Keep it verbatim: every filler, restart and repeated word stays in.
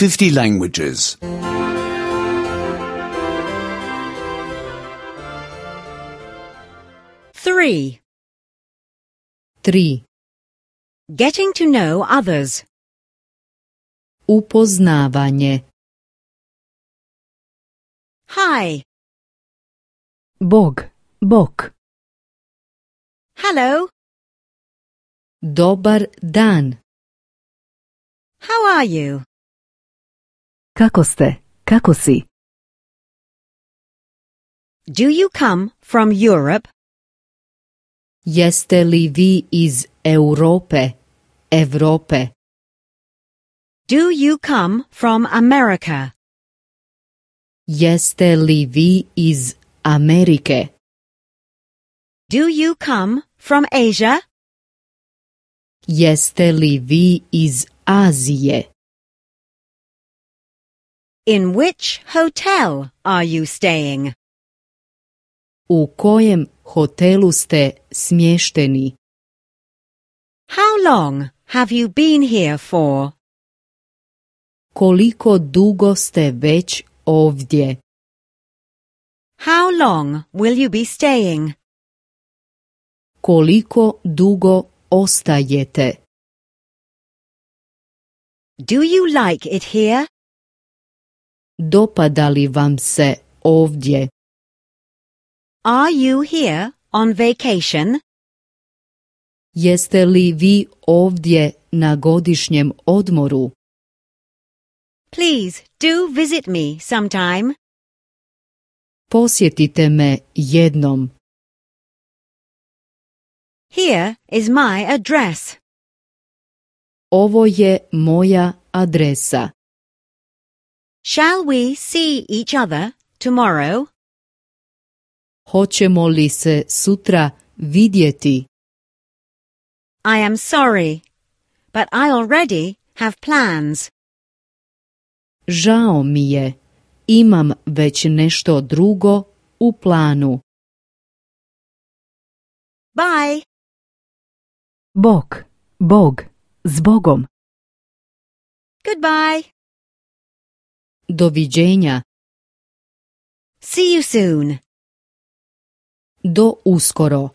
fifty languages. Three. Tri. Getting to know others. Upoznavanje. Hi. Bog, bok. Hello. Dobar dan. How are you? Kako ste? Kako si? Do you come from Europe? Jeste li vi iz Europe, Evrope? Do you come from America? Jeste li vi iz Amerike? Do you come from Asia? Jeste li vi iz Azije? In which hotel are you staying? U kojem hotelu ste smješteni? How long have you been here for? Koliko dugo ste već ovdje? How long will you be staying? Koliko dugo ostajete? Do you like it here? Dopada li vam se ovdje? Are you here on vacation? Jeste li vi ovdje na godišnjem odmoru? Please do visit me sometime. Posjetite me jednom. Here is my address. Ovo je moja adresa. Shall we see each other tomorrow? Hoćemo li se sutra vidjeti? I am sorry, but I already have plans. Žao mi je, imam već nešto drugo u planu. Bye. Bog, Bog, s Bogom. Goodbye. Doviđenja. See you soon. Do uskoro.